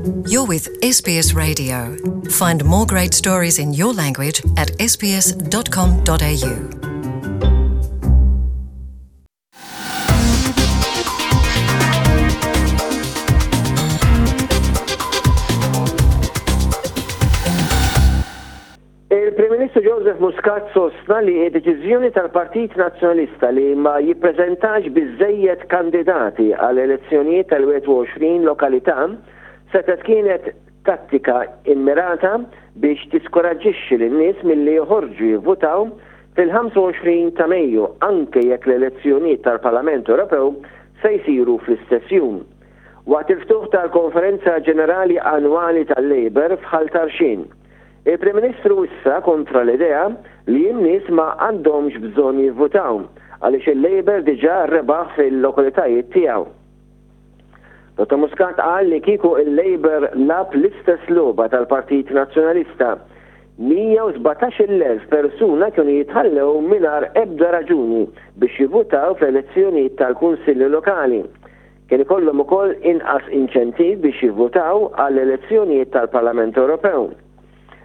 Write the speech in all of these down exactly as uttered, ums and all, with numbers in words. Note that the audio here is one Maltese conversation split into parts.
You're with S B S Radio. Find more great stories in your language at S B S dot com dot A U. Il-Prim Ministru Joseph Muscat sostna li d-deċiżjoni tal-Partit Nazzjonalista li ma jippreżentax biżejjed kandidati għal elezzjonijiet tal-wieħed u għoxrin lokalità setgħet kienet tattika immirata biex tiskoraġġixxi lin-nies milli joħorġu jivvutaw fil-ħamsa u għoxrin ta' Mejju, anke jekk l-elezzjonijiet tal-Parlament Ewropew se jsiru fl-istess jum. Waqt il-ftuħ tal-Konferenza Ġenerali Annwali tal-Labour f'Ħal Tarxien, il-Prim Ministru wissa kontra l-idea li n-nies ma għandhomx bżonn jivvutaw għaliex il-Labour diġà rebaħ fil-lokalitajiet tiegħu. Dottor Muscat qal li kieku il-Labour lagħab l-istess logħba tal-Partit Nazzjonalista, mija u sbatax-il elf persuna kienu jitħallew mingħajr ebda raġuni biex jivvutaw fl-elezzjonijiet tal-Kunsilli Lokali. Kien ikollhom ukoll inqas inċentiv biex jivvutaw għall-elezzjonijiet tal-Parlament Ewropew.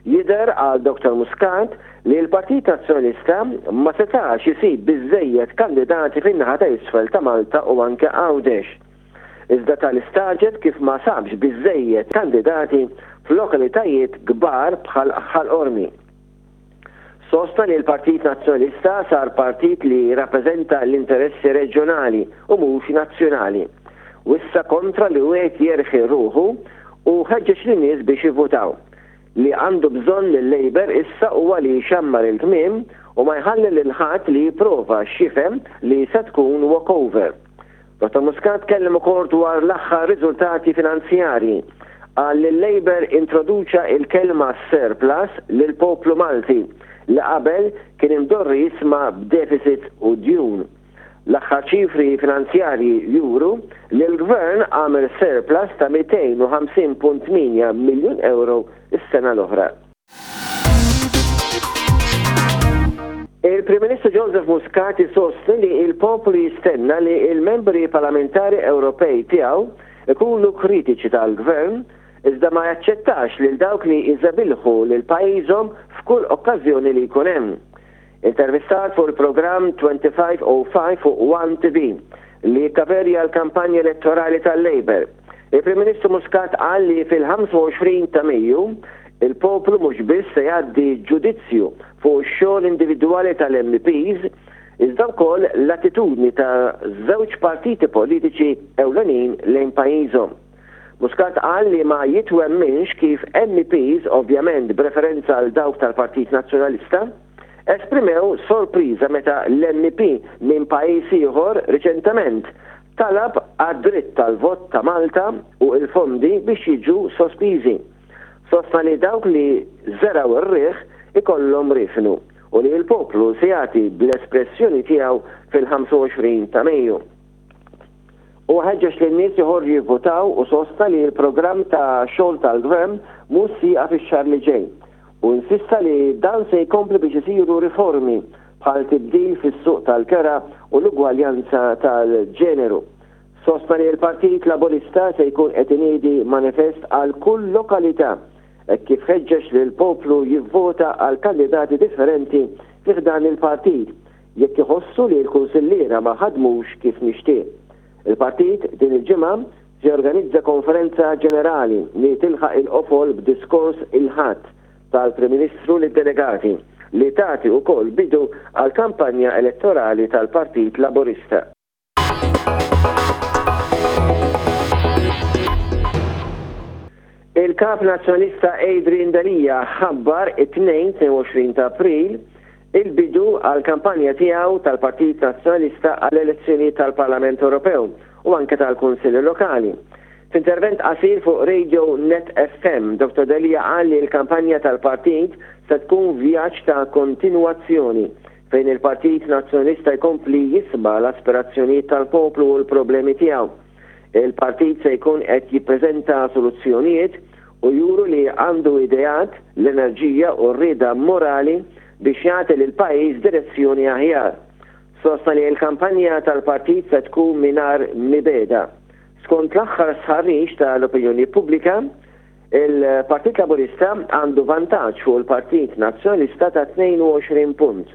Jidher għal Dottor Muscat li l-Partit Nazzjonalista ma setax isib biżejjed kandidati fin-naħa ta' isfel ta' Malta u anke Għawdex. Iżda tal-istagħġeb kif ma sabx biżejjed kandidati f'lokalitajiet kbar bħal Ħal Qormi. Sostna li l-Partit Nazzjonalista sar partit li rappreżenta l-interessi reġjonali u mhux nazzjonali. Wissa kontra li wieħed jerħi ruħu u ħeġġeġ lin-nies biex jivvutaw. Li għandu bżonn l-Labour issa huwa li xammar il-kmiem u ma jħalli lil ħadd li jipprova x'jifhem li se tkun walkover. Dottor Muscat kellem ukoll dwar l-aħħar riżultati finanzjarji. Qal li l-Labour introduċa il-kelma surplus lil poplu Malti li qabel kien imdorri jisma' b'deficit u djun. L-aħħar ċifri finanzjarji juru li l-gvern għamel surplus ta' mitejn u ħamsin punt tmienja miljun euro is-sena l-oħra. Il-Prim Ministru Joseph Muscat isostni li il-poplu jistenna li il-membri parlamentari Ewropej tiegħu ikunu kritiċi tal-gvern, iżda ma jaċċettax lil dawk li jżebilħu lil pajjiżhom f'kull okkażjoni li jkun hemm. Intervistat fuq il-programm twenty-five oh five fuq One T V li kaverja l-kampanja elettorali tal-Labour, il-Prim Ministru Muscat qal li fil-ħamsa u għoxrin ta' Mejju il-poplu mhux biss se jgħaddi ġudizzju fuq ix-xogħol individwali tal-M Ps, iżda wkoll l-attitudni ta' żewġ partiti politiċi ewlenin lejn pajjiżhom. Muscat qal li ma jitwemminx kif M Ps, ovvjament b'referenza għal dawk tal-Partit Nazzjonalista, esprimew sorpriża meta l-M P minn pajjiż ieħor riċentement talab għad-dritt tal-vot ta' Malta u il-fondi biex jiġu sospiżi. Sostna li dawk li żergħu r-riħ ikollhom riefnu u li l-poplu se jagħti bl-espressjoni tiegħu fil-ħamsa u għoxrin ta' Mejju. U ħeġġeġ li n-nies joħorġu jivvotaw u sostna li l-programm ta' xogħol tal-gvern mhux sieqa fix-xahar li ġej. U insista li dan se jkompli biex isiru riformi bħal tibdil fis-suq tal-kera u l-ugwaljanza tal-ġeneru. Sostna li l-Partit Laburista se jkun qed iniedi manifest għal kull lokalità kif ħeġġeġ li l-poplu jivvota għal kandidati differenti fi dan il-partit jekk iħossu li l-kunsilliera ma ħadmux kif mixtieq. Il-partit din il-ġimgħa se jorganizza konferenza ġenerali li tilħaq il-qofol b'diskors il-Ħadd tal-Prim Ministru lid-delegati li tagħti wkoll bidu għal kampanja elettorali tal-Partit Laburista. Il-kap nazzjonalista Adrian Delia ħabbar it-Tnejn tnejn u għoxrin ta' April il-bidu għal kampanja tiegħu tal-Partit Nazzjonalista għall elezzjoni tal-Parlament Ewropew u anke tal-Kunsilli Lokali. F'intervent qasir fuq Radio Net F M, Dottor Delia qal li l-kampanja tal-partit se tkun vjaġġ ta' kontinwazzjoni fejn il-Partit Nazzjonalista jkompli jisma' l-aspirazzjonijiet tal-poplu u l-problemi tiegħu. Il-partit se jkun qed jippreżenta soluzzjonijiet u juru li għandu ideat, l-enerġija u r-rieda morali biex jagħti lil pajjiż direzzjoni aħjar. Sostna li l-kampanja tal-partit se tkun mingħajr mibegħda. Skont l-aħħar stħarriġ tal-opinjoni pubblika, Il-Partit Laburista għandu vantaġġ fuq il-Partit Nazzjonalista ta' tnejn u għoxrin punt.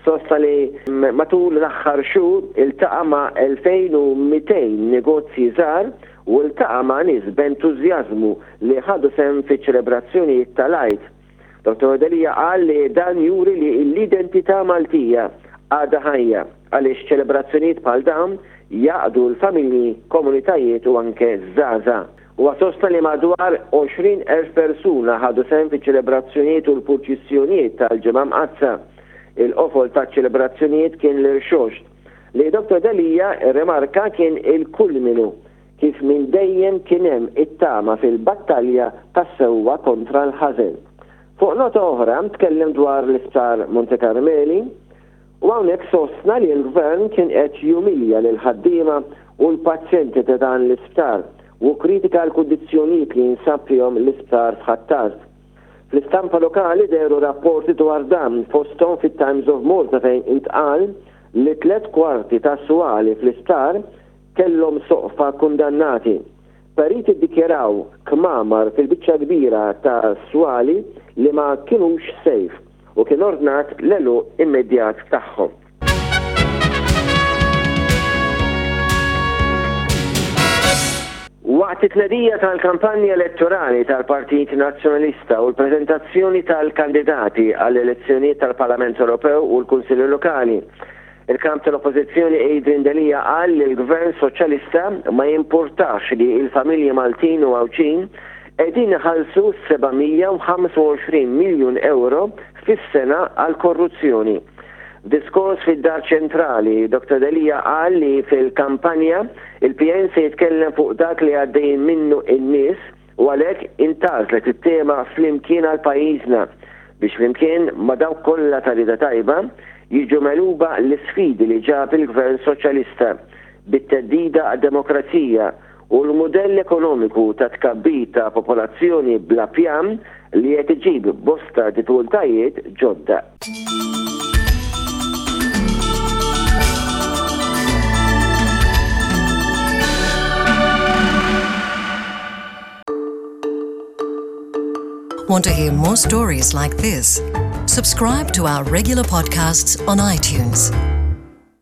Sostna li matul l-aħħar xhur iltaqa' ma' elfejn u mitejn negozji żgħar u iltaqa' ma' nies b'entużjażmu li ħadu sehem fiċ-ċelebrazzjonijiet tal-Għid. Dottor Delia qal li dan juri li l-identità Maltija għadha ħajja għaliex ċelebrazzjonijiet bħal dawn jgħaqqdu l-familji, komunitajiet u anke żgħażagħ. U sostna li madwar għoxrin elf persuna ħadu sehem fiċ-ċelebrazzjonijiet u l-purċissjonijiet tal-Ġimgħa Mqaddsa. Il-qofol ta' ċelebrazzjonijiet kien l-Irxoxt li Dottor Delia remarka kien il-kulminu kif minn dejjem kien hemm it-tama fil-battalja tas-sewwa kontra l-ħażen. Fuq nota oħra tkellem dwar l-isptar Monte Carmeli u hawnhekk sostna li l-gvern kien qed jumilja lil ħaddiema u l-pazjenti ta' dan l-isptar u kritika l-kundizzjonijiet li jinsab fihom l-isptar f'Ħ'Attard. Fl-istampa lokali dehru rapporti dwar dan, fosthom fit-Times of Malta, fejn intqal li tlet kwarti ta' swali fl-isptar kellhom soqfa kundannati. Periti ddikjaraw kmamar fil-biċċa kbira ta' swali li ma kienux safe u kien ordnat l-għeluq immedjat tagħhom. Waqt it-tnedija tal-kampanja elettorali tal-Partit Nazzjonalista u l-prezentazzjoni tal-kandidati għall-elezzjonijiet tal-Parlament Ewropew u l-Kunsilli Lokali, il-kap tal-Oppożizzjoni Adrian Delia qal li l-Gvern Soċjalista ma jimpurtax li il-familji Maltin u Għawdxin qegħdin iħallsu seba' mija u ħamsa u għoxrin miljun euro fis-sena għal korruzzjoni. Diskors fid-Dar Ċentrali, Dottor Delia qal li fil-kampanja il-P N se jitkellem fuq dak li għaddejn minnu in-nies u għalhekk intgħażlet it-tema "Flimkien għal Pajjiżna" biex flimkien ma' dawk kollha ta' rieda tajba jiġu megħluba l-sfidi li ġab il-Gvern Soċjalista bit-theddida għad-demokrazija u l-modell ekonomiku ta' tkabbir ta' popolazzjoni bla pjan li qed iġib bosta diffikultajiet ġodda. Want to hear more stories like this? Subscribe to our regular podcasts on iTunes.